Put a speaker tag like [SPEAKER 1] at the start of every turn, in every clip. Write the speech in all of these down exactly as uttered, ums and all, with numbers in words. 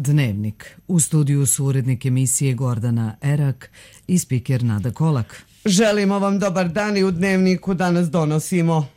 [SPEAKER 1] Dnevnik. U studiju su urednik emisije Gordana Erak i spiker Nada Kolak.
[SPEAKER 2] Želimo vam dobar dan i u Dnevniku danas donosimo.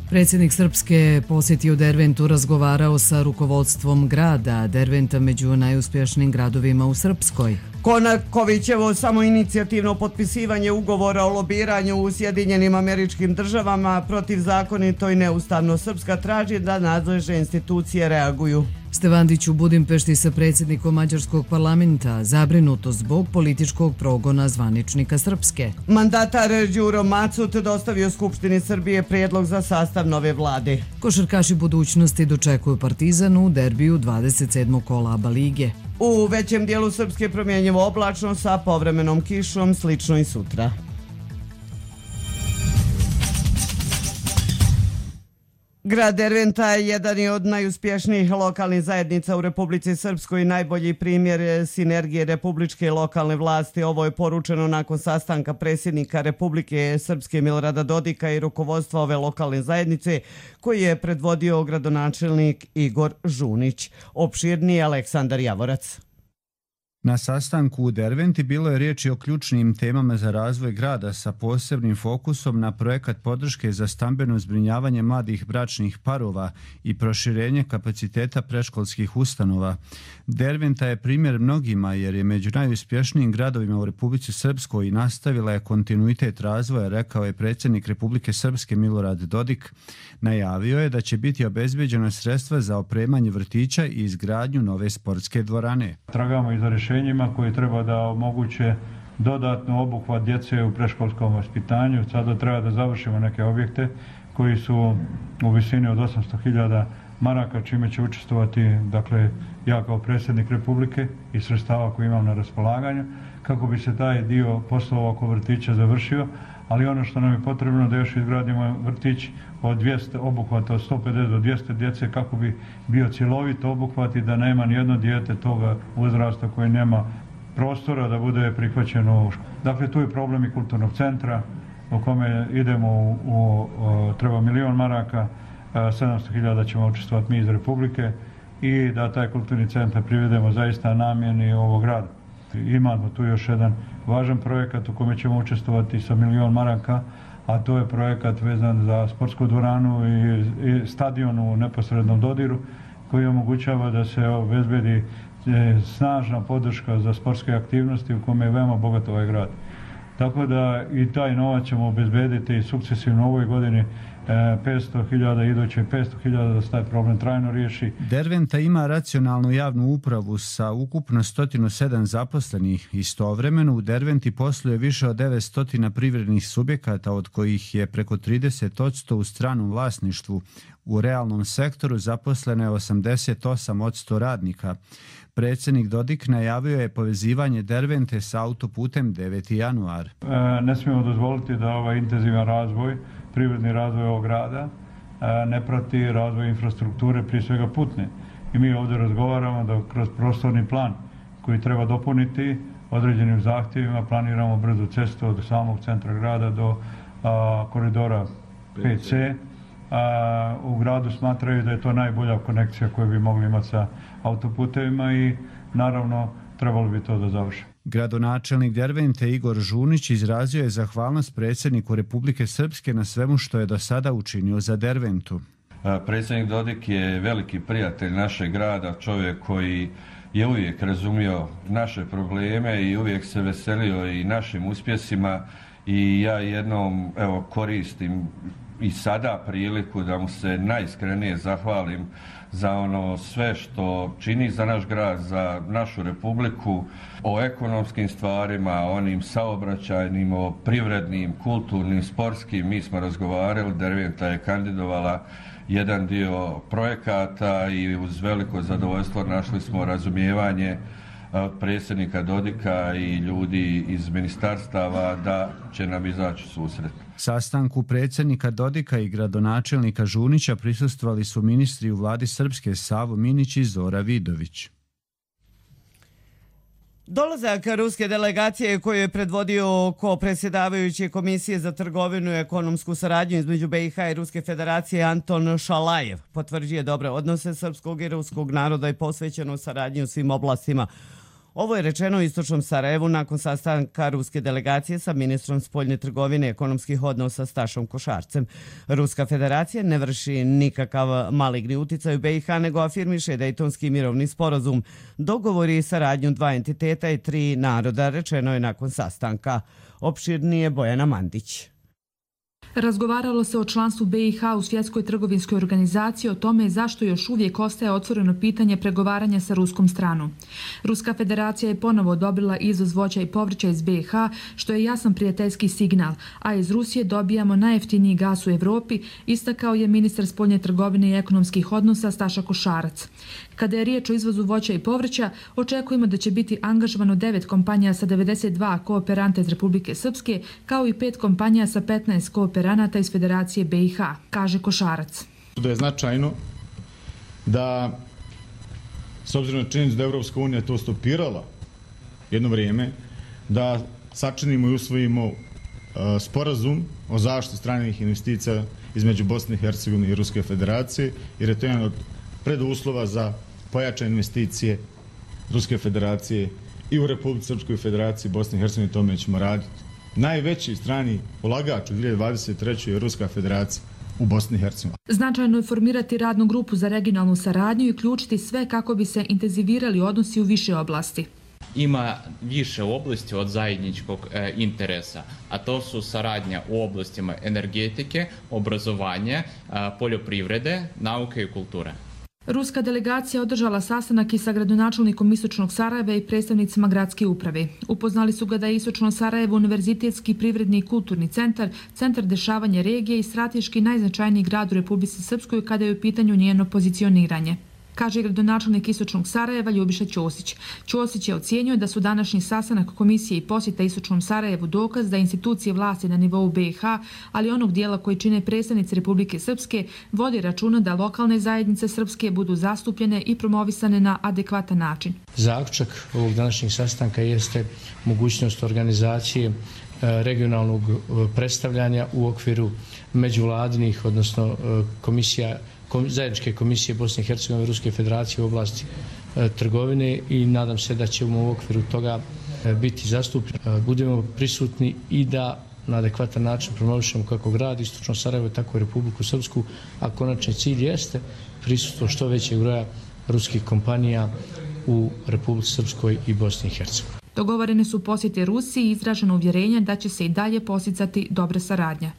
[SPEAKER 1] Predsjednik Srpske posjetio Derventu, razgovarao sa rukovodstvom grada. Derventa među najuspješnijim gradovima u Srpskoj.
[SPEAKER 2] Konakovićevo samoinicijativno potpisivanje ugovora o lobiranju u Sjedinjenim Američkim Državama protivzakonito i neustavno. Srpska traži da nadležne institucije reaguju.
[SPEAKER 1] Stevandić u Budimpešti sa predsjednikom Mađarskog parlamenta, zabrinuto zbog političkog progona zvaničnika Srpske.
[SPEAKER 2] Mandatar Đuro Macut dostavio Skupštini Srbije prijedlog za sastav nove vlade.
[SPEAKER 1] Košarkaši budućnosti dočekuju Partizan u derbiju dvadeset sedmog kola ABA lige.
[SPEAKER 2] U većem dijelu Srpske promjenjivo oblačno sa povremenom kišom, slično i sutra. Grad Derventa je jedan od najuspješnijih lokalnih zajednica u Republici Srpskoj i najbolji primjer sinergije republičke i lokalne vlasti. Ovo je poručeno nakon sastanka predsjednika Republike Srpske Milorada Dodika i rukovodstva ove lokalne zajednice koji je predvodio gradonačelnik Igor Žunić. Opširniji Aleksandar Javorac.
[SPEAKER 3] Na sastanku u Derventi bilo je riječi o ključnim temama za razvoj grada sa posebnim fokusom na projekat podrške za stambeno zbrinjavanje mladih bračnih parova i proširenje kapaciteta predškolskih ustanova. Derventa je primjer mnogima jer je među najuspješnijim gradovima u Republici Srpskoj i nastavila je kontinuitet razvoja, rekao je predsjednik Republike Srpske Milorad Dodik. Najavio je da će biti obezbeđena sredstva za opremanje vrtića i izgradnju nove sportske dvorane.
[SPEAKER 4] Tragamo i za rješenjima koji treba da omoguće dodatno obuhvat djece u predškolskom vaspitanju. Sada treba da završimo neke objekte koji su u visini od osamsto hiljada maraka, čime će učestvovati, dakle, ja kao predsjednik Republike i sredstava koje imam na raspolaganju, kako bi se taj dio poslova oko vrtića završio, ali ono što nam je potrebno da još izgradimo vrtić od dvjesto obuhvata, od sto pedeset do dvjesto djece, kako bi bio cjelovit obuhvat i da nema nijedno dijete toga uzrasta koji nema prostora da bude prihvaćeno u školu. Dakle, tu je problem i kulturnog centra u kome idemo u, u, u treba milion maraka, sedamsto hiljada ćemo učestvovati mi iz Republike i da taj kulturni centar privedemo zaista namjeni ovog grada. Imamo tu još jedan važan projekat u kome ćemo učestvovati sa milion maraka, a to je projekat vezan za sportsku dvoranu i, i stadion u neposrednom dodiru koji omogućava da se obezbedi snažna podrška za sportske aktivnosti u kome je veoma bogat ovaj grad. Tako da i taj novac ćemo obezbediti sukcesivno u ovoj godini petsto hiljada, iduće petsto hiljada da se taj problem trajno riješi.
[SPEAKER 3] Derventa ima racionalnu javnu upravu sa ukupno sto sedam zaposlenih. Istovremeno u Derventi posluje više od devetsto privrednih subjekata, od kojih je preko trideset posto u stranom vlasništvu. U realnom sektoru zaposleno je osamdeset osam posto radnika. Predsjednik Dodik najavio je povezivanje Dervente sa autoputem deveti januar.
[SPEAKER 4] E, ne smijemo dozvoliti da ovaj intenzivan razvoj, privredni razvoj ovog grada, e, ne prati razvoj infrastrukture, prije svega putne. I mi ovdje razgovaramo da kroz prostorni plan koji treba dopuniti određenim zahtjevima planiramo brzu cestu od samog centra grada do a, koridora pet ce. A, u gradu smatraju da je to najbolja konekcija koju bi mogli imati sa autoputevima i naravno trebalo bi to da završi.
[SPEAKER 3] Gradonačelnik Dervente Igor Žunić izrazio je zahvalnost predsjedniku Republike Srpske na svemu što je do sada učinio za Derventu.
[SPEAKER 5] Predsjednik Dodik je veliki prijatelj našeg grada, čovjek koji je uvijek razumio naše probleme i uvijek se veselio i našim uspjesima i ja jednom evo, koristim i sada priliku da mu se najiskrenije zahvalim za ono sve što čini za naš grad, za našu Republiku, o ekonomskim stvarima, onim saobraćajnim, o privrednim, kulturnim, sportskim. Mi smo razgovarali, Derventa je kandidovala jedan dio projekata i uz veliko zadovoljstvo našli smo razumijevanje predsjednika Dodika i ljudi iz ministarstava da će nam izaći susret.
[SPEAKER 3] Sastanku predsjednika Dodika i gradonačelnika Žunića prisustvovali su ministri u vladi Srpske Savo Minić i Zora Vidović.
[SPEAKER 2] Dolazak ruske delegacije koju je predvodio ko predsjedavajući Komisije za trgovinu i ekonomsku saradnju između B i H i Ruske federacije Anton Šalajev potvrđuje dobre odnose srpskog i ruskog naroda i posvećenu saradnju u svim oblastima. Ovo je rečeno u istočnom Sarajevu nakon sastanka ruske delegacije sa ministrom spoljne trgovine i ekonomskih odnosa Stašom Košarcem. Ruska federacija ne vrši nikakav maligni uticaj u B i H, nego afirmiše Dejtonski mirovni sporazum. Dogovori i saradnju dva entiteta i tri naroda, rečeno je nakon sastanka. Opširnije Bojana Mandić.
[SPEAKER 6] Razgovaralo se o članstvu B i H u Svjetskoj trgovinskoj organizaciji, o tome zašto još uvijek ostaje otvoreno pitanje pregovaranja sa ruskom stranom. Ruska federacija je ponovo odobrila izvoz voća i povrća iz B i H, što je jasan prijateljski signal, a iz Rusije dobijamo najjeftiniji gas u Evropi, istakao je ministar spoljne trgovine i ekonomskih odnosa Staša Košarac. Kada je riječ o izvozu voća i povrća, očekujemo da će biti angažovano devet kompanija sa devedeset dva kooperanta iz Republike Srpske, kao i pet kompanija sa petnaest kooperanata iz Federacije B i H, kaže Košarac.
[SPEAKER 7] Da je značajno da, s obzirom na činjenicu da Evropska unija to stopirala jedno vrijeme, da sačinimo i usvojimo uh, sporazum o zaštiti stranih investicija između Bosne i Hercegovine i Ruske federacije, jer je to jedan od preduslova za pojačane investicije Ruske federacije i u Republici Srpskoj federaciji Bosne i Hercegovine, tome ćemo raditi. Najveći strani ulagač u dvije hiljade dvadeset trećoj je Ruska federacija u Bosni i Hercegovini.
[SPEAKER 6] Značajno je formirati radnu grupu za regionalnu saradnju i uključiti sve kako bi se intenzivirali odnosi u više oblasti.
[SPEAKER 8] Ima više oblasti od zajedničkog e, interesa, a to su saradnja u oblastima energetike, obrazovanja, e, poljoprivrede, nauke i kulture.
[SPEAKER 6] Ruska delegacija održala sastanak i sa gradonačelnikom Istočnog Sarajeva i predstavnicima gradske uprave. Upoznali su ga da je Istočno Sarajevo univerzitetski, privredni i kulturni centar, centar dešavanja regije i strateški najznačajniji grad u Republici Srpskoj kada je u pitanju njeno pozicioniranje, kaže gradonačelnik Istočnog Sarajeva Ljubiša Ćosić. Ćosić je ocijenio da su današnji sastanak komisije i posjeta Istočnom Sarajevu dokaz da institucije vlasti na nivou B i H, ali onog dijela koji čine predstavnici Republike Srpske, vodi računa da lokalne zajednice srpske budu zastupljene i promovisane na adekvatan način.
[SPEAKER 9] Zaključak ovog današnjeg sastanka jeste mogućnost organizacije regionalnog predstavljanja u okviru međuvladinih, odnosno komisija zajedničke komisije Bosne i Hercegovine i Ruske federacije u oblasti e, trgovine i nadam se da ćemo u okviru toga e, biti zastupljeni. E, budemo prisutni i da na adekvatan način promovišemo kako grad Istočno Sarajevo, tako i Republiku Srpsku, a konačni cilj jeste prisutstvo što većeg broja ruskih kompanija u Republici Srpskoj i Bosni i Hercegovini.
[SPEAKER 6] Dogovorene su posjete Rusiji i izraženo uvjerenje da će se i dalje posticati dobra saradnja.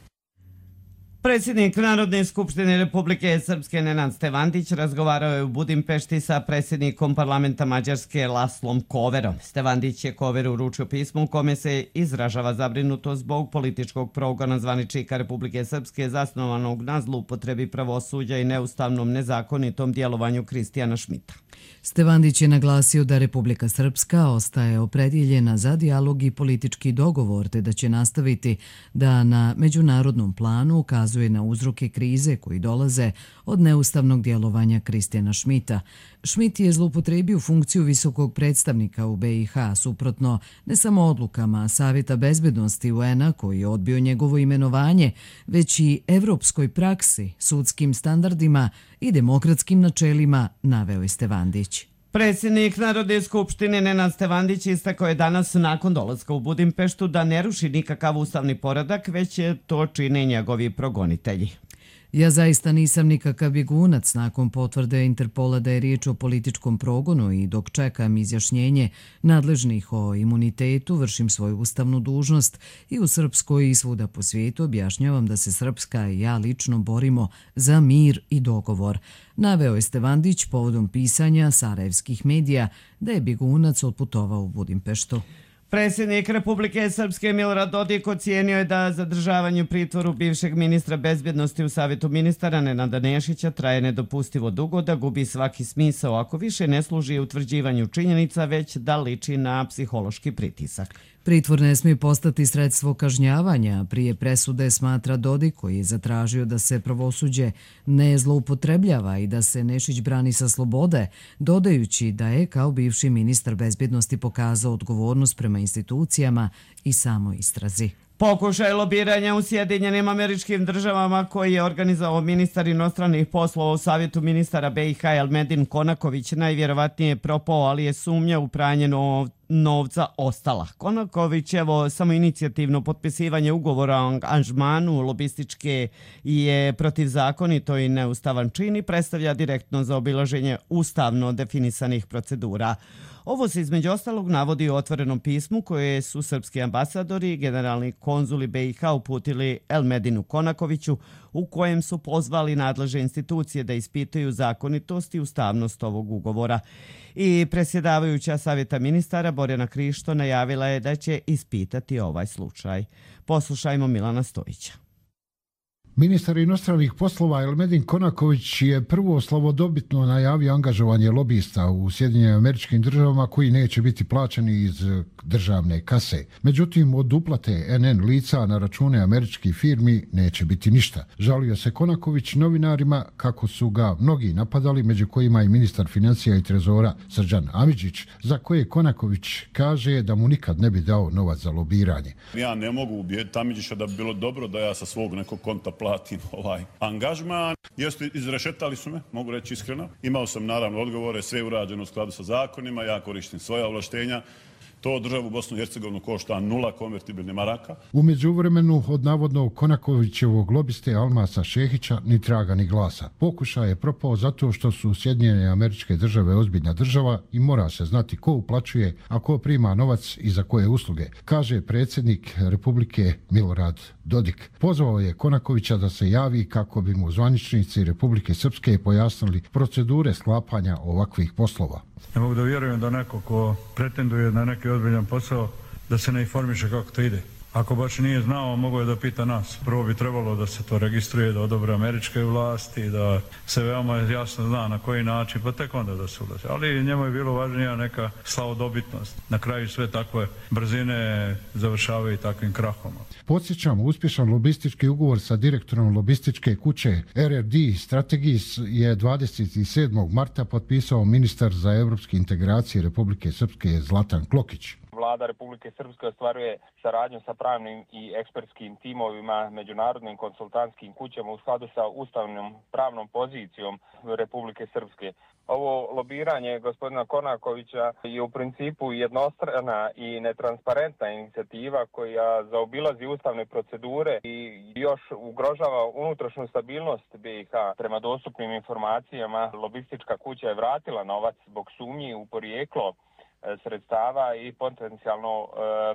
[SPEAKER 2] Predsjednik Narodne skupštine Republike Srpske Nenad Stevandić razgovarao je u Budimpešti sa predsjednikom parlamenta Mađarske Laslom Koverom. Stevandić je Koveru uručio pismo u kome se izražava zabrinutost zbog političkog progona zvaničnika Republike Srpske zasnovanog na zloupotrebi pravosuđa i neustavnom nezakonitom djelovanju Kristijana Šmita.
[SPEAKER 1] Stevandić je naglasio da Republika Srpska ostaje opredjeljena za dijalog i politički dogovor, te da će nastaviti da na međunarodnom planu ukazuje na uzroke krize koji dolaze od neustavnog djelovanja Kristijana Šmita. Šmit je zloupotrebio funkciju visokog predstavnika u B i H, suprotno ne samo odlukama Savjeta bezbednosti U N-a koji je odbio njegovo imenovanje, već i evropskoj praksi, sudskim standardima i demokratskim načelima, naveo je Stevandić.
[SPEAKER 2] Predsjednik Narodne skupštine Nenad Stevandić istakao je danas nakon dolaska u Budimpeštu da ne ruši nikakav ustavni poredak, već to čine njegovi progonitelji.
[SPEAKER 1] Ja zaista nisam nikakav bjegunac nakon potvrde Interpola da je riječ o političkom progonu i dok čekam izjašnjenje nadležnih o imunitetu, vršim svoju ustavnu dužnost i u Srpskoj i svuda po svijetu objašnjavam da se Srpska i ja lično borimo za mir i dogovor. Naveo je Stevandić povodom pisanja sarajevskih medija da je bjegunac otputovao u Budimpeštu.
[SPEAKER 2] Predsjednik Republike Srpske Milorad Dodik ocijenio je da zadržavanje u pritvoru bivšeg ministra bezbjednosti u Savjetu ministara Nenada Nešića traje nedopustivo dugo, da gubi svaki smisao ako više ne služi utvrđivanju činjenica, već da liči na psihološki pritisak.
[SPEAKER 1] Pritvor ne smije postati sredstvo kažnjavanja. Prije presude, smatra Dodik, koji je zatražio da se pravosuđe ne zloupotrebljava i da se Nešić brani sa slobode, dodajući da je kao bivši ministar bezbjednosti pokazao odgovornost prema institucijama i samoj istrazi.
[SPEAKER 2] Pokušaj lobiranja u Sjedinjenim Američkim Državama koji je organizovao ministar inostranih poslova u Savjetu ministara B i H Elmedin Konaković najvjerovatnije je propao, ali je sumnja u pranje novca ostala. Konakovićevo samoinicijativno potpisivanje ugovora o angažmanu lobističke je protivzakonito i neustavan čin i predstavlja direktno zaobilaženje ustavno definisanih procedura. Ovo se između ostalog navodi u otvorenom pismu koje su srpski ambasadori i generalni konzuli B i H uputili Elmedinu Konakoviću, u kojem su pozvali nadležne institucije da ispitaju zakonitost i ustavnost ovog ugovora. I predsjedavajuća Savjeta ministara Borjana Krišto najavila je da će ispitati ovaj slučaj. Poslušajmo Milana Stojića.
[SPEAKER 10] Ministar inostranih poslova Elmedin Konaković je prvo slavodobitno najavio angažovanje lobista u Sjedinjenim Američkim Državama koji neće biti plaćeni iz državne kase. Međutim, od uplate N N lica na račune američkih firmi neće biti ništa. Žalio se Konaković novinarima kako su ga mnogi napadali, među kojima i ministar financija i trezora Srđan Amidžić, za koje Konaković kaže da mu nikad ne bi dao novac za lobiranje.
[SPEAKER 11] Ja ne mogu ubijediti Amidžića da bi bilo dobro da ja sa svog nekog konta platim ovaj angažman. Jeste, izrešetali su me, mogu reći iskreno. Imao sam naravno odgovore, sve urađeno u skladu sa zakonima, ja koristim svoja ovlaštenja. To državu Bosnu i Hercegovinu košta nula konvertibilnih maraka.
[SPEAKER 10] U međuvremenu od navodnog Konakovićevog lobiste Almasa Šehića ni traga ni glasa. Pokušaj je propao zato što su Sjedinjene Američke Države ozbiljna država i mora se znati ko uplaćuje, a ko prima novac i za koje usluge, kaže predsjednik Republike Milorad Dodik. Pozvao je Konakovića da se javi kako bi mu zvaničnici Republike Srpske pojasnili procedure sklapanja ovakvih poslova.
[SPEAKER 4] Ne mogu da vjerujem da neko ko pretenduje na neki ozbiljan posao da se ne informiše kako to ide. Ako baš nije znao, mogo je da pita nas. Prvo bi trebalo da se to registruje, da odobre američke vlasti, da se veoma jasno zna na koji način, pa tek onda da se ulazi. Ali njemu je bilo važnija neka slavodobitnost. Na kraju sve takve brzine završavaju takvim krahom.
[SPEAKER 10] Podsjećamo, uspješan lobistički ugovor sa direktorom lobističke kuće R R D Strategis je dvadeset sedmog marta potpisao ministar za evropske integracije Republike Srpske Zlatan Klokić.
[SPEAKER 12] Vlada Republike Srpske ostvaruje saradnju sa pravnim i ekspertskim timovima, međunarodnim konsultantskim kućama u skladu sa ustavnom pravnom pozicijom Republike Srpske. Ovo lobiranje gospodina Konakovića je u principu jednostrana i netransparentna inicijativa koja zaobilazi ustavne procedure i još ugrožava unutrašnju stabilnost B i H. Prema dostupnim informacijama, lobistička kuća je vratila novac zbog sumnji u porijeklo sredstava i potencijalno e,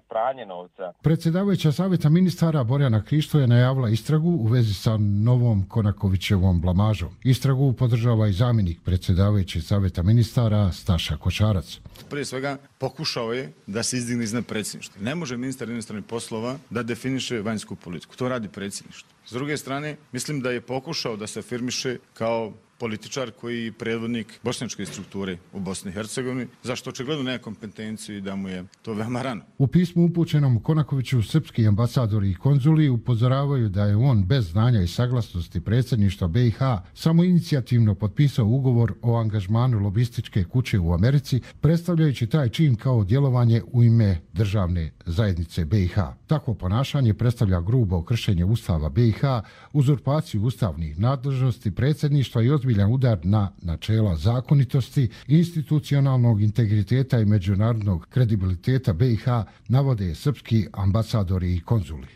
[SPEAKER 12] pranje novca.
[SPEAKER 10] Predsjedavajuća Savjeta ministara Borjana Krišto je najavila istragu u vezi sa novom Konakovićevom blamažom. Istragu podržava i zamjenik predsjedavajućeg Savjeta ministara Staša Košarac.
[SPEAKER 7] Prije svega pokušao je da se izdigne iznad predsjedništva. Ne može ministar inostranih poslova da definiše vanjsku politiku. To radi predsjedništvo. S druge strane, mislim da je pokušao da se afirmiše kao političar koji je predvodnik bošnjačke strukture u Bosni i Hercegovini, zašto očigledno nema kompetenciju i da mu je to veoma rano.
[SPEAKER 10] U pismu upućenom Konakoviću srpski ambasadori i konzuli upozoravaju da je on bez znanja i saglasnosti predsjedništva B i H samoinicijativno potpisao ugovor o angažmanu lobističke kuće u Americi, predstavljajući taj čin kao djelovanje u ime državne zajednice B i H. Takvo ponašanje predstavlja grubo kršenje Ustava B i H, uzurpaciju ustavnih nadležnosti predsjedništva i ozbiljan udar na načela zakonitosti, institucionalnog integriteta i međunarodnog kredibiliteta B i H, navode srpski ambasadori i konzuli.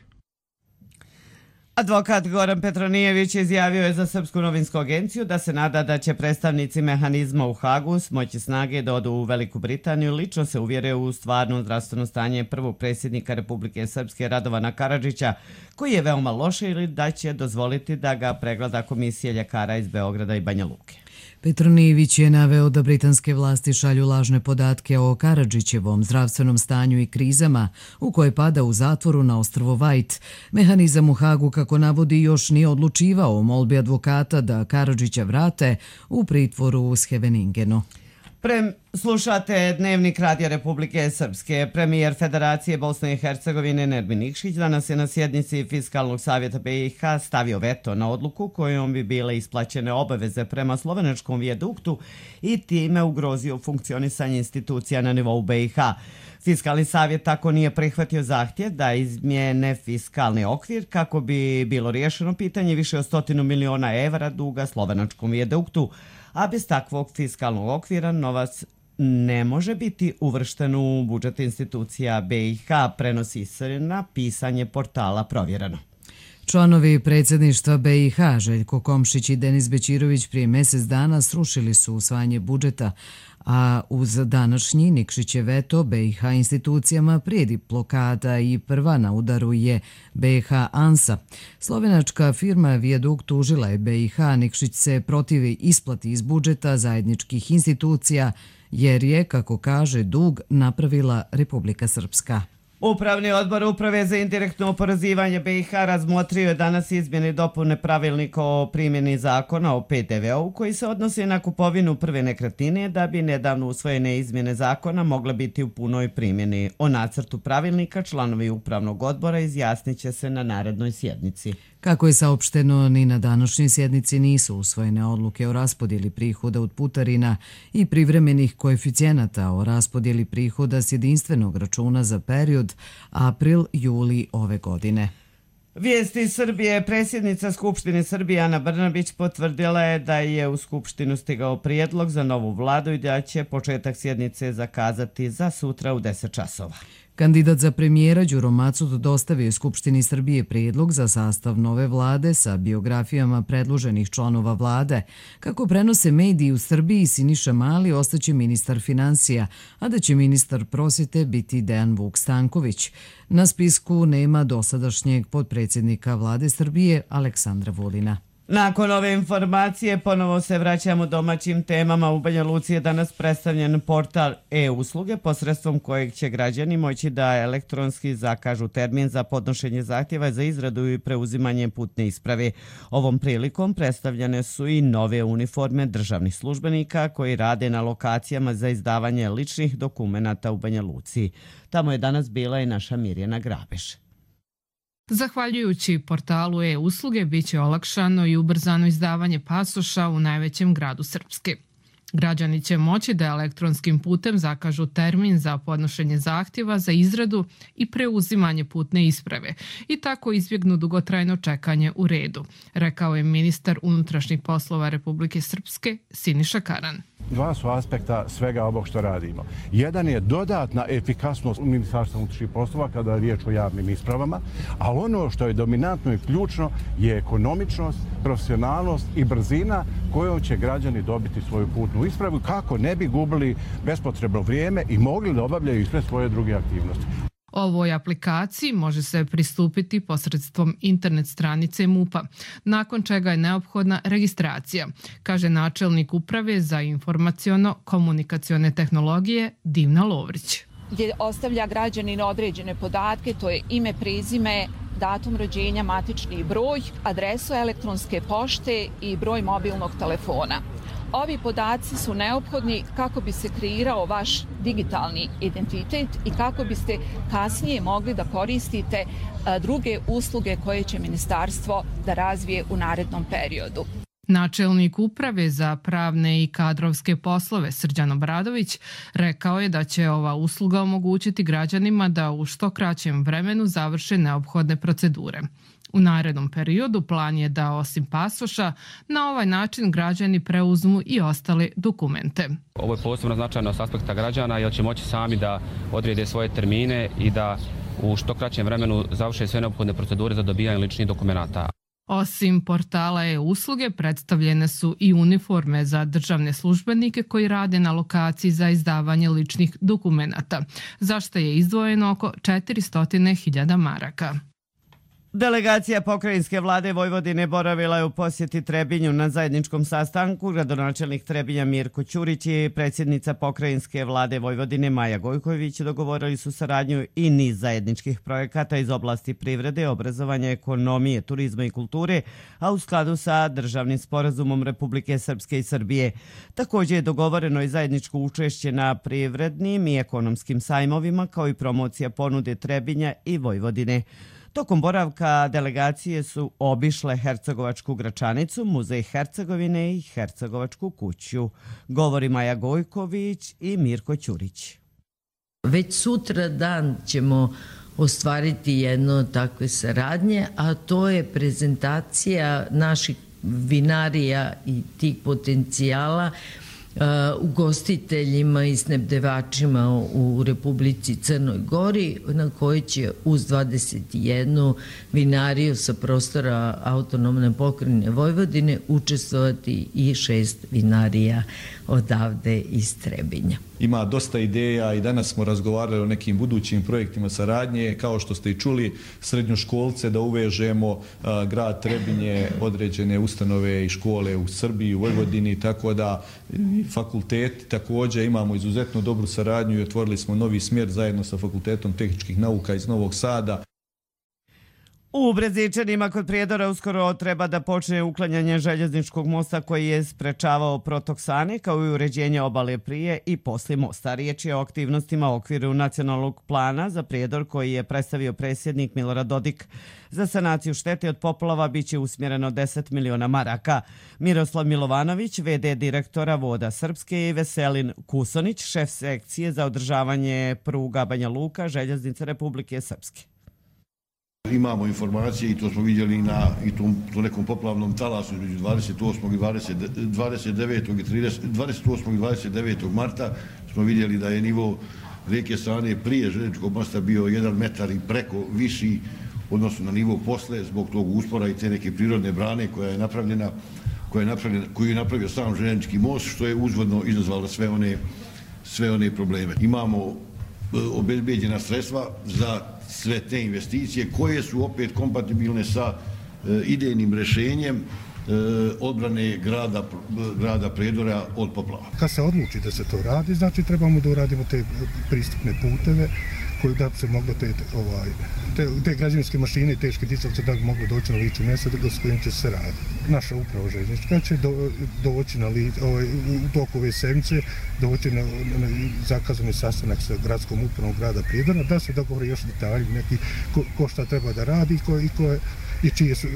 [SPEAKER 2] Advokat Goran Petronijević izjavio je za Srpsku novinsku agenciju da se nada da će predstavnici mehanizma u Hagu smoći snage da odu u Veliku Britaniju, lično se uvjere u stvarno zdravstveno stanje prvog predsjednika Republike Srpske Radovana Karadžića, koji je veoma loše, ili da će dozvoliti da ga pregleda komisija ljekara iz Beograda i Banja Luke.
[SPEAKER 1] Petronijević je naveo da britanske vlasti šalju lažne podatke o Karadžićevom zdravstvenom stanju i krizama u koje pada u zatvoru na ostrvo White. Mehanizam u Hagu, kako navodi, još nije odlučivao o molbi advokata da Karadžića vrate u pritvoru u Scheveningenu.
[SPEAKER 2] Prem, slušate Dnevnik Radija Republike Srpske. Premijer Federacije Bosne i Hercegovine Nermin Nikšić danas je na sjednici Fiskalnog savjeta B i H stavio veto na odluku kojom bi bile isplaćene obaveze prema slovenačkom vijaduktu i time ugrozio funkcionisanje institucija na nivou B i H. Fiskalni savjet tako nije prihvatio zahtjev da izmijene fiskalni okvir kako bi bilo riješeno pitanje više od stotinu miliona evra duga slovenačkom vijaduktu, a bez takvog fiskalnog okvira novac ne može biti uvršten u budžet institucija B i H, prenosi se na pisanje portala Provjereno.
[SPEAKER 1] Članovi predsjedništva B i H, Željko Komšić i Denis Bećirović, prije mjesec dana srušili su usvajanje budžeta, a uz današnji Nikšićev veto B i H institucijama prijedi blokada i prva na udaru je B i H ANSA. Slovenačka firma Viadukt tužila je B i H, Nikšić se protivi isplati iz budžeta zajedničkih institucija jer je, kako kaže, dug napravila Republika Srpska.
[SPEAKER 2] Upravni odbor Uprave za indirektno oporezivanje B i H razmotrio je danas izmjene i dopune pravilnika o primjeni zakona o P D V-u koji se odnosi na kupovinu prve nekretnine da bi nedavno usvojene izmjene zakona mogle biti u punoj primjeni. O nacrtu pravilnika članovi upravnog odbora izjasnit će se na narednoj sjednici.
[SPEAKER 1] Kako je saopšteno, ni na današnjoj sjednici nisu usvojene odluke o raspodjeli prihoda od putarina i privremenih koeficijenata o raspodjeli prihoda s jedinstvenog računa za period april-juli ove godine.
[SPEAKER 2] Vijesti Srbije. Predsjednica Skupštine Srbije Ana Brnabić potvrdila je da je u Skupštinu stigao prijedlog za novu vladu i da će početak sjednice zakazati za sutra u deset časova.
[SPEAKER 1] Kandidat za premijera Đuro Macut dostavio je Skupštini Srbije prijedlog za sastav nove vlade sa biografijama predloženih članova vlade. Kako prenose mediji u Srbiji, Siniša Mali ostaće ministar financija, a da će ministar prosvjete biti Dejan Vuk Stanković. Na spisku nema dosadašnjeg potpredsjednika vlade Srbije Aleksandra Vulina.
[SPEAKER 2] Nakon ove informacije ponovo se vraćamo domaćim temama. U Banja Luci je danas predstavljen portal e-usluge posredstvom kojeg će građani moći da elektronski zakažu termin za podnošenje zahtjeva za izradu i preuzimanje putne isprave. Ovom prilikom predstavljene su i nove uniforme državnih službenika koji rade na lokacijama za izdavanje ličnih dokumenata u Banja Luci. Tamo je danas bila i naša Mirjana Grabeš.
[SPEAKER 13] Zahvaljujući portalu e-usluge biće olakšano i ubrzano izdavanje pasoša u najvećem gradu Srpske. Građani će moći da elektronskim putem zakažu termin za podnošenje zahtjeva za izradu i preuzimanje putne isprave i tako izbjegnu dugotrajno čekanje u redu, rekao je ministar unutrašnjih poslova Republike Srpske Siniša Karan.
[SPEAKER 14] Dva su aspekta svega ovog što radimo. Jedan je dodatna efikasnost Ministarstva unutrašnjih poslova kada je riječ o javnim ispravama, a ono što je dominantno i ključno je ekonomičnost, profesionalnost i brzina kojom će građani dobiti svoju putnu ispravu kako ne bi gubili bespotrebno vrijeme i mogli da obavljaju sve svoje druge aktivnosti.
[SPEAKER 13] Ovoj aplikaciji može se pristupiti posredstvom internet stranice MUP-a, nakon čega je neophodna registracija, kaže načelnik uprave za informaciono-komunikacione tehnologije Divna Lovrić.
[SPEAKER 15] Gdje ostavlja građanin određene podatke, to je ime, prezime, datum rođenja, matični broj, adresu elektronske pošte i broj mobilnog telefona. Ovi podaci su neophodni kako bi se kreirao vaš digitalni identitet i kako biste kasnije mogli da koristite druge usluge koje će ministarstvo da razvije u narednom periodu.
[SPEAKER 13] Načelnik uprave za pravne i kadrovske poslove Srđan Obradović rekao je da će ova usluga omogućiti građanima da u što kraćem vremenu završe neophodne procedure. U narednom periodu plan je da osim pasoša na ovaj način građani preuzmu i ostale dokumente.
[SPEAKER 16] Ovo je posebno značajno s aspekta građana jer će moći sami da odrede svoje termine i da u što kraćem vremenu završe sve neophodne procedure za dobijanje ličnih dokumenata.
[SPEAKER 13] Osim portala e-usluge predstavljene su i uniforme za državne službenike koji rade na lokaciji za izdavanje ličnih dokumenata, za što je izdvojeno oko četiristo hiljada maraka.
[SPEAKER 2] Delegacija pokrajinske vlade Vojvodine boravila je u posjeti Trebinju na zajedničkom sastanku. Gradonačelnik Trebinja Mirko Ćurić i predsjednica pokrajinske vlade Vojvodine Maja Gojković dogovorili su saradnju i niz zajedničkih projekata iz oblasti privrede, obrazovanja, ekonomije, turizma i kulture, a u skladu sa državnim sporazumom Republike Srpske i Srbije. Također je dogovoreno i zajedničko učešće na privrednim i ekonomskim sajmovima, kao i promocija ponude Trebinja i Vojvodine. Tokom boravka delegacije su obišle Hercegovačku Gračanicu, Muzej Hercegovine i Hercegovačku kuću. Govori Maja Gojković i Mirko Ćurić.
[SPEAKER 17] Već sutra dan ćemo ostvariti jedno takve saradnje, a to je prezentacija naših vinarija i tih potencijala Uh, ugostiteljima i snabdevačima u Republici Crnoj Gori, na kojoj će uz dvadeset jednu vinariju sa prostora autonomne pokrajine Vojvodine učestvovati i šest vinarija odavde iz Trebinja.
[SPEAKER 18] Ima dosta ideja i danas smo razgovarali o nekim budućim projektima saradnje, kao što ste i čuli, srednjoškolce da uvežemo, a, grad Trebinje, određene ustanove i škole u Srbiji, u Vojvodini, tako da fakulteti također imamo izuzetno dobru saradnju i otvorili smo novi smjer zajedno sa Fakultetom tehničkih nauka iz Novog Sada.
[SPEAKER 2] U Brezičanima kod Prijedora uskoro treba da počne uklanjanje željezničkog mosta koji je sprečavao protok Sane, kao i uređenje obale prije i poslije mosta. Riječ je o aktivnostima u okviru nacionalnog plana za Prijedor koji je predstavio predsjednik Milorad Dodik. Za sanaciju štete od poplava biće usmjereno deset miliona maraka. Miroslav Milovanović, ve de direktora Voda Srpske, i Veselin Kusonić, šef sekcije za održavanje pruga Banja Luka, Željeznice Republike Srpske.
[SPEAKER 19] Imamo informacije i to smo vidjeli na i tom, tom nekom poplavnom talasu između dvadeset osmog i dvadeset devetog i trideset, dvadeset osmog i dvadeset devetog marta smo vidjeli da je nivo rijeke Sane prije željezničkog mosta bio jedan metar i preko viši odnosno na nivo posle zbog tog uspora i te neke prirodne brane koja je napravljena, koja je napravljena, koju je napravio sam željeznički most, što je uzvodno izazvalo sve one, sve one probleme. Imamo obezbeđena sredstva za sve te investicije koje su opet kompatibilne sa e, idejnim rješenjem e, odbrane grada, grada Prijedora od poplava.
[SPEAKER 20] Kad se odluči da se to radi, znači trebamo da uradimo te pristupne puteve koji da se moglo te, ovaj, te, te građevinske mašine i teške dizalce da bi moglo doći na lice mjesta s kojim će se raditi. Naša uprava željeznička će do, doći na li, ovaj, u toku ove sedmice doći na, na zakazani sastanak sa gradskom upravom grada Prijedora da se dogovori još detalji neki ko, ko šta treba da radi ko, i, ko je, i čije su,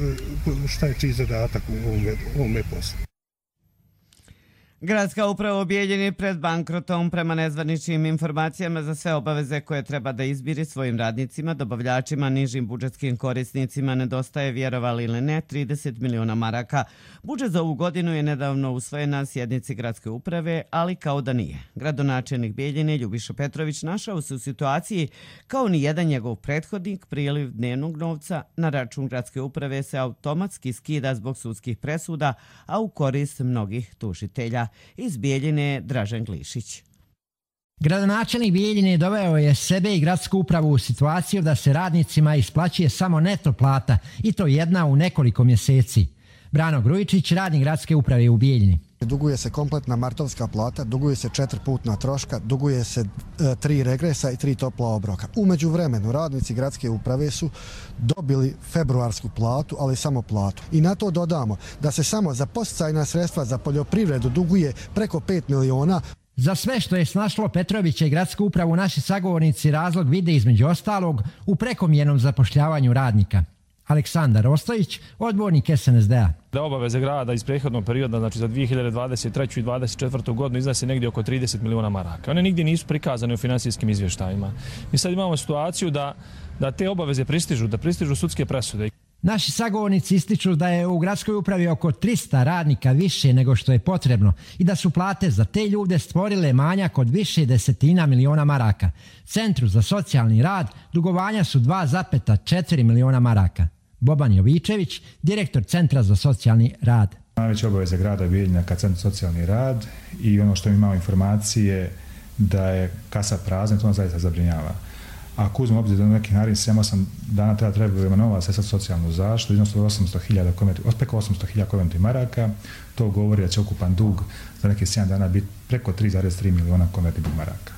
[SPEAKER 20] šta je čiji zadatak u ovome, ovome poslu.
[SPEAKER 2] Gradska uprava u Bijeljini pred bankrotom. Prema nezvaničnim informacijama za sve obaveze koje treba da izbiri svojim radnicima, dobavljačima, nižim budžetskim korisnicima nedostaje, vjerovali ili ne, trideset miliona maraka. Budžet za ovu godinu je nedavno usvojen na sjednici gradske uprave, ali kao da nije. Gradonačelnik Bijeljine Ljubiša Petrović našao se u situaciji kao ni jedan njegov prethodnik. Priliv dnevnog novca na račun gradske uprave se automatski skida zbog sudskih presuda, a u korist mnogih tužitelja. Iz Bijeljine Dražen Glišić.
[SPEAKER 21] Gradonačelnik Bijeljine doveo je sebe i gradsku upravu u situaciju da se radnicima isplaćuje samo neto plata i to jedna u nekoliko mjeseci. Brano Grujičić, radnik gradske uprave u Bijeljini.
[SPEAKER 22] Duguje se kompletna martovska plata, duguje se četiri putna troška, duguje se e, tri regresa i tri topla obroka. Umeđu vremenu radnici gradske uprave su dobili februarsku platu, ali samo platu. I na to dodamo da se samo za podsticajna sredstva za poljoprivredu duguje preko pet miliona.
[SPEAKER 21] Za sve što je snašlo Petrovića i gradsku upravu naši sagovornici razlog vide između ostalog u prekomjernom zapošljavanju radnika. Aleksandar Ostojić, odbornik es en es de a.
[SPEAKER 23] Da obaveze grada iz prethodnog perioda, znači za dvije hiljade dvadeset treću i dvadeset četvrtu godinu iznose negdje oko trideset miliona maraka. One nigdje nisu prikazane u finansijskim izvještajima. Mi sad imamo situaciju da, da te obaveze pristižu, da pristižu sudske presude.
[SPEAKER 21] Naši sagovornici ističu da je u gradskoj upravi oko trista radnika više nego što je potrebno i da su plate za te ljude stvorile manjak od više desetina miliona maraka. Centru za socijalni rad dugovanja su dva zarez četiri miliona maraka. Boban Jovičević, direktor Centra za socijalni rad.
[SPEAKER 24] Najveća obaveza grada Bijeljina ka Centru za socijalni rad i ono što mi imamo informacije da je kasa prazna, to nas zaista zabrinjava. Ako uzmemo obzir da neki narednih sedam osam dana treba trebujemo nova sredstva za socijalnu zaštitu, iznosu osamsto hiljada preko osamsto hiljada konvertnih maraka, to govori da će ukupan dug za neke sedam dana biti preko tri zarez tri miliona konvertnih maraka.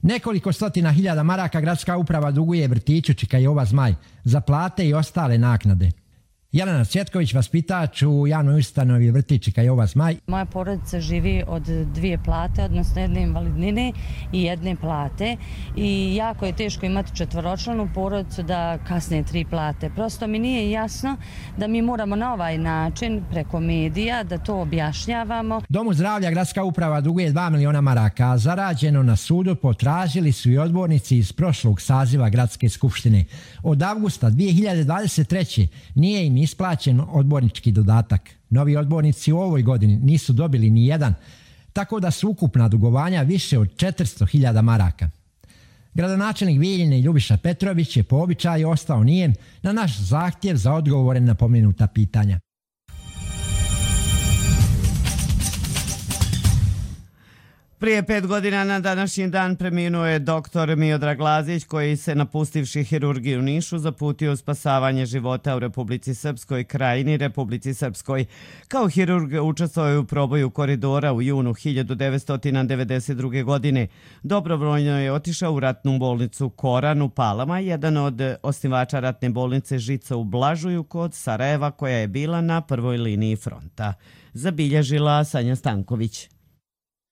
[SPEAKER 21] Nekoliko stotina hiljada maraka gradska uprava duguje vrtiću Čika Jova Zmaj za plate i ostale naknade. Jelena Cvjetković, vaspitač u javnoj ustanovi vrtić Čika Jova Zmaj.
[SPEAKER 3] Moja porodica živi od dvije plate, odnosno jedne invalidnine i jedne plate. I jako je teško imati četvoročlanu porodicu da kasne tri plate. Prosto mi nije jasno da mi moramo na ovaj način preko medija da to objašnjavamo.
[SPEAKER 21] Domu zdravlja gradska uprava duguje dva miliona maraka, a zarađeno na sudu potražili su i odbornici iz prošlog saziva gradske skupštine. Od avgusta dvije hiljade dvadeset treće nije im isplaćen odbornički dodatak. Novi odbornici u ovoj godini nisu dobili ni jedan, tako da su ukupna dugovanja više od četiristo hiljada maraka. Gradonačelnik Bijeljine Ljubiša Petrović je po običaju ostao nijem na naš zahtjev za odgovore na pomenuta pitanja.
[SPEAKER 2] Prije pet godina na današnji dan preminuo je doktor Miodrag Lazić, koji se napustivši hirurgiju u Nišu zaputio u spasavanje života u Republici Srpskoj, Krajini Republici Srpskoj. Kao hirurg učestvovao je u proboju koridora u junu hiljadu devetsto devedeset druge. godine. Dobrovoljno je otišao u ratnu bolnicu Koran u Palama, jedan od osnivača ratne bolnice Žica u Blažuju kod Sarajeva, koja je bila na prvoj liniji fronta. Zabilježila Sanja Stanković.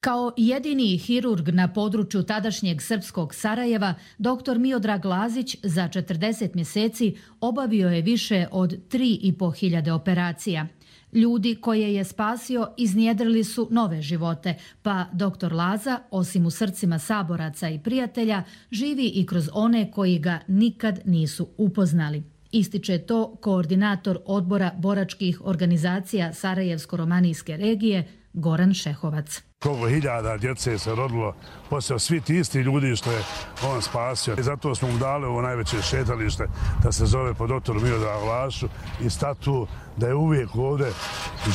[SPEAKER 5] Kao jedini hirurg na području tadašnjeg srpskog Sarajeva, doktor Miodrag Lazić za četrdeset mjeseci obavio je više od tri i po hiljade operacija. Ljudi koje je spasio iznjedrili su nove živote, pa doktor Laza, osim u srcima saboraca i prijatelja, živi i kroz one koji ga nikad nisu upoznali. Ističe to koordinator odbora boračkih organizacija Sarajevsko-romanijske regije Goran Šehovac.
[SPEAKER 8] Koliko hiljada djece se rodilo poslije svi ti isti ljudi što je on spasio. I zato smo mu dali ovo najveće šetalište da se zove po doktoru Miodragu Laziću i statu da je uvijek ovdje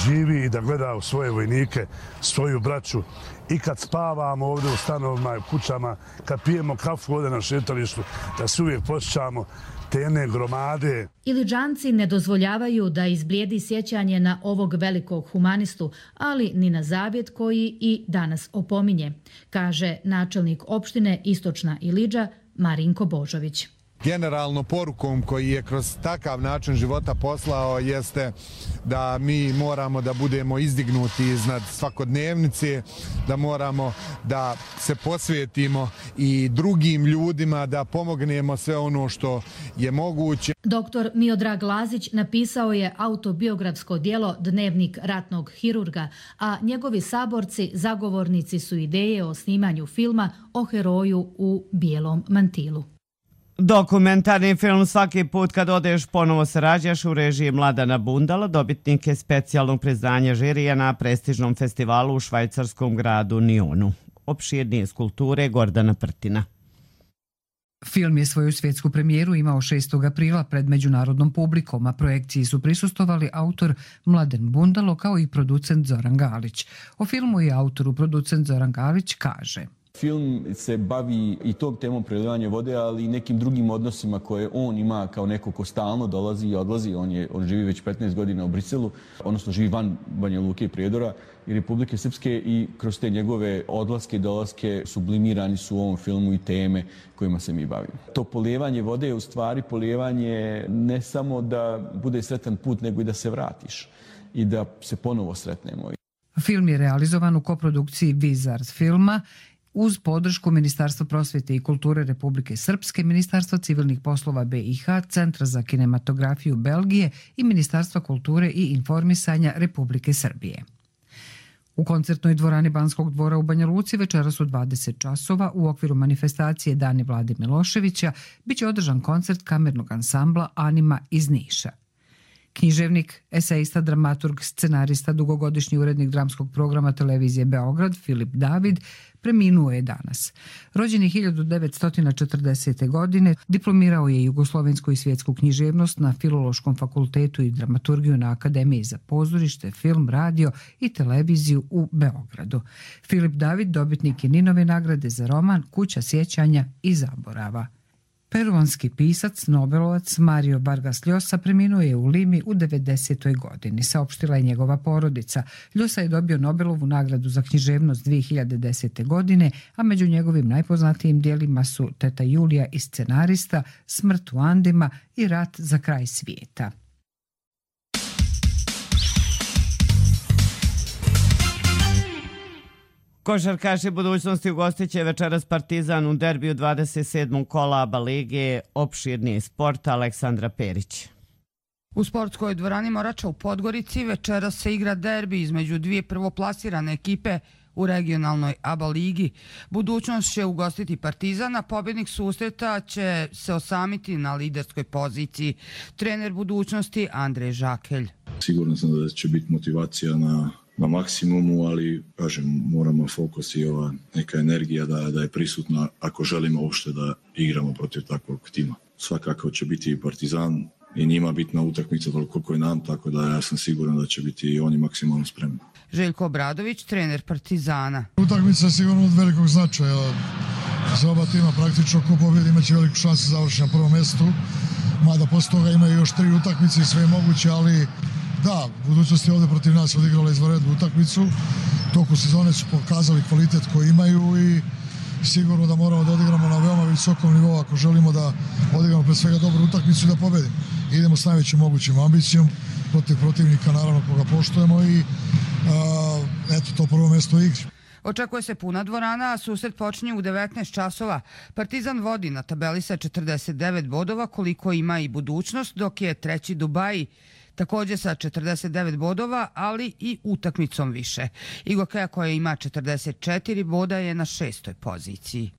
[SPEAKER 8] živi i da gleda u svoje vojnike, svoju braću. I kad spavamo ovdje u stanovima i kućama, kad pijemo kafu ovdje na šetalištu, da se uvijek posjećamo te jedne gromade.
[SPEAKER 5] Iliđanci ne dozvoljavaju da izblijedi sjećanje na ovog velikog humanistu, ali ni na zavjet koji i danas opominje, kaže načelnik opštine Istočna Iliđa Marinko Božović.
[SPEAKER 9] Generalno porukom koji je kroz takav način života poslao jeste da mi moramo da budemo izdignuti iznad svakodnevnice, da moramo da se posvetimo i drugim ljudima, da pomognemo sve ono što je moguće.
[SPEAKER 5] Doktor Miodrag Lazić napisao je autobiografsko djelo Dnevnik ratnog hirurga, a njegovi saborci zagovornici su ideje o snimanju filma o heroju u bijelom mantilu.
[SPEAKER 2] Dokumentarni film Svaki put kad odeš ponovo se rađaš u režiji Mladana Bundala dobitnik je specijalnog priznanja žirija na prestižnom festivalu u švajcarskom gradu Nionu. Opširnije iz kulture Gordana Prtina.
[SPEAKER 25] Film je svoju svjetsku premijeru imao šestog aprila pred međunarodnom publikom, a projekciji su prisustovali autor Mladen Bundalo kao i producent Zoran Galić. O filmu i autoru producent Zoran Galić kaže:
[SPEAKER 26] Film se bavi i tom temom prelivanja vode, ali i nekim drugim odnosima koje on ima kao neko ko stalno dolazi i odlazi. On, je, on živi već petnaest godina u Briselu, odnosno živi van Banja Luke i Prijedora i Republike Srpske i kroz te njegove odlaske i dolaske sublimirani su u ovom filmu i teme kojima se mi bavimo. To polijevanje vode je u stvari polijevanje ne samo da bude sretan put, nego i da se vratiš i da se ponovo sretnemo.
[SPEAKER 25] Film je realizovan u koprodukciji Vizard filma uz podršku Ministarstva prosvjete i kulture Republike Srpske, Ministarstva civilnih poslova B i H, Centra za kinematografiju Belgije i Ministarstva kulture i informisanja Republike Srbije. U koncertnoj dvorani Banskog dvora u Banja Luci večeras u dvadeset časova u okviru manifestacije Dani Vlade Miloševića biće održan koncert kamernog ansambla Anima iz Niša. Književnik, esejista, dramaturg, scenarista, dugogodišnji urednik dramskog programa televizije Beograd Filip David preminuo je danas. Rođen je hiljadu devetsto četrdesete. godine, diplomirao je jugoslovensku i svjetsku književnost na Filološkom fakultetu i dramaturgiju na Akademiji za pozorište, film, radio i televiziju u Beogradu. Filip David dobitnik je Ninove nagrade za roman Kuća sjećanja i zaborava. Peruanski pisac, nobelovac Mario Vargas Llosa preminuo je u Limi u devedesetoj godini, saopštila je njegova porodica. Llosa je dobio Nobelovu nagradu za književnost dvije hiljade desete. godine, a među njegovim najpoznatijim dijelima su Teta Julija i scenarista, Smrt u Andima i Rat za kraj svijeta.
[SPEAKER 2] Košarkaši budućnosti ugostit će večeras Partizan u derbiju dvadeset sedmog kola A B A lige. Opširniji sport, Aleksandra Perić.
[SPEAKER 4] U sportskoj dvorani Morača u Podgorici večeras se igra derbi između dvije prvoplasirane ekipe u regionalnoj A B A ligi. Budućnost će ugostiti Partizan, a pobjednik susreta će se osamiti na liderskoj poziciji. Trener budućnosti Andrej Žakelj.
[SPEAKER 6] Sigurno sam da će biti motivacija na na maksimumu, ali kažem, moramo fokus i ova neka energija da, da je prisutna ako želimo uopšte da igramo protiv takvog tima. Svakako će biti i Partizan i njima bitna utakmica koliko je nam, tako da ja sam siguran da će biti i oni maksimalno spremni.
[SPEAKER 4] Željko Obradović, trener Partizana.
[SPEAKER 7] Utakmica je sigurno od velikog značaja. Za oba tima praktično ko pobjedi imaće veliku šansu završiti na prvom mjestu, mada posle toga imaju još tri utakmice i sve je moguće, ali da, budućnost je ovdje protiv nas odigrala izvanrednu utakmicu. Toku sezone su pokazali kvalitet koji imaju i sigurno da moramo da odigramo na veoma visokom nivou ako želimo da odigramo pre svega dobru utakmicu i da pobedimo. Idemo s najvećim mogućim ambicijom protiv protivnika, naravno koga poštujemo i a, eto to prvo mjesto u igri.
[SPEAKER 4] Očekuje se puna dvorana, a susret počinje u devetnaest časova. Partizan vodi na tabeli sa četrdeset devet bodova, koliko ima i budućnost, dok je treći Dubaji također sa četrdeset devet bodova, ali i utakmicom više. Igokeja koja ima četrdeset četiri boda je na šestoj poziciji.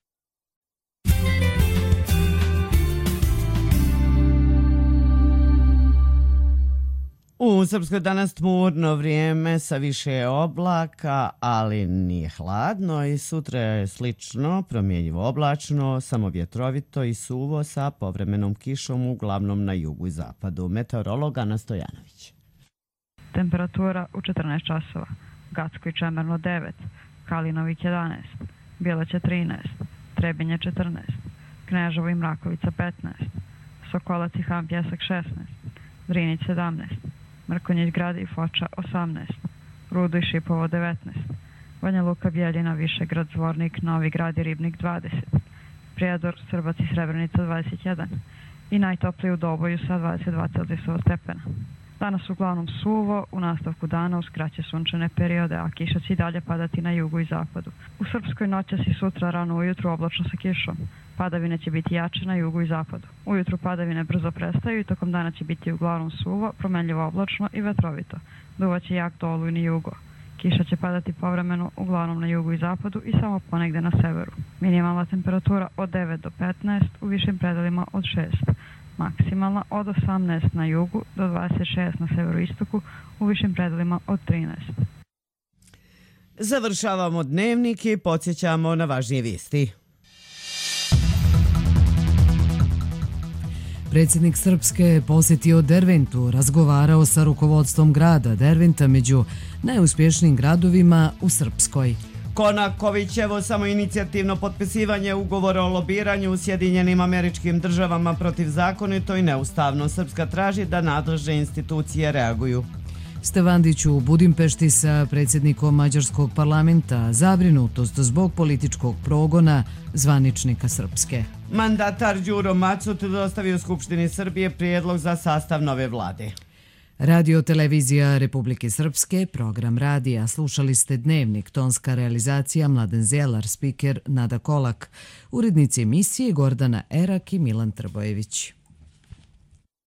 [SPEAKER 2] U Srpskoj danas tmurno vrijeme sa više oblaka, ali nije hladno i sutra je slično, promjenjivo oblačno, samo vjetrovito i suvo sa povremenom kišom uglavnom na jugu i zapadu. Meteorolog Ana Stojanović.
[SPEAKER 10] Temperatura u četrnaest časova. Gacko i Čemerno devet, Kalinovik jedanaest, Bjelaća trinaest, Trebinje četrnaest, Kneževo i Mrakovica petnaest, Sokolac i Han Pjesak šesnaest, Drinić sedamnaest, Mrkonjić Grad i Foča osamnaest, Rudo i Šipovo devetnaest, Banja Luka, Bjeljina, Višegrad, Zvornik, Novi Grad i Ribnik dvadeset, Prijedor, Srbac i Srebrenica dvadeset jedan i najtopliji u Doboju sa dvadeset dva Celzijusova stepena. Danas uglavnom suvo, u nastavku dana uz kraće sunčane periode, a kiša će i dalje padati na jugu i zapadu. U Srpskoj noćas i sutra rano ujutru oblačno sa kišom. Padavine će biti jače na jugu i zapadu. Ujutru padavine brzo prestaju i tokom dana će biti uglavnom suvo, promenljivo oblačno i vetrovito. Duvaće jak do olujni jugo. Kiša će padati povremeno uglavnom na jugu i zapadu i samo ponegde na severu. Minimalna temperatura od devet do petnaest, u višim predelima od šest. Maksimalna od osamnaest na jugu do dvadeset šest na severoistoku, u višim predelima od trinaest.
[SPEAKER 2] Završavamo dnevnik i podsjećamo na važnije vijesti.
[SPEAKER 1] Predsjednik Srpske je posjetio Derventu, razgovarao sa rukovodstvom grada Derventa među najuspješnijim gradovima u Srpskoj.
[SPEAKER 2] Konakovićevo samoinicijativno potpisivanje ugovora o lobiranju u Sjedinjenim Američkim Državama protivzakonito i neustavno. Srpska traži da nadležne institucije reaguju.
[SPEAKER 1] Stevandić u Budimpešti sa predsjednikom Mađarskog parlamenta, zabrinutost zbog političkog progona zvaničnika Srpske.
[SPEAKER 2] Mandatar Đuro Macut dostavio Skupštini Srbije prijedlog za sastav nove vlade.
[SPEAKER 1] Radio Televizija Republike Srpske, program radija. Slušali ste Dnevnik, tonska realizacija Mladen Zelar, spiker Nada Kolak, urednici emisije Gordana Erak i Milan Trbojević.